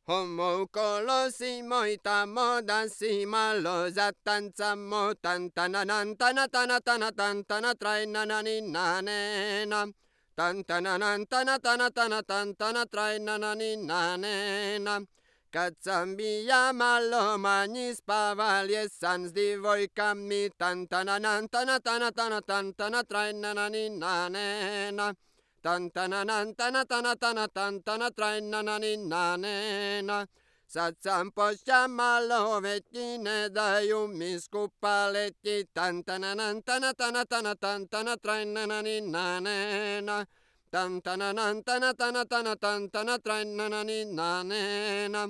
Homo colosimo itamo dasima lo zatanzamo tantananan tanatana tanatana trainanani nanena tantananan tanatana tanatana trainanani nanena Kazambia malo magnis pavalies sans divoi tantananan tanatana tanatana trainanani nanena Tantananan tanatana tanatana trainanani nanena Satsampo shamalo vetine daiumis kupaletti Tantananan tanatana tanatana trainanani nanena Tantananan tanatana tanatana trainanani nanena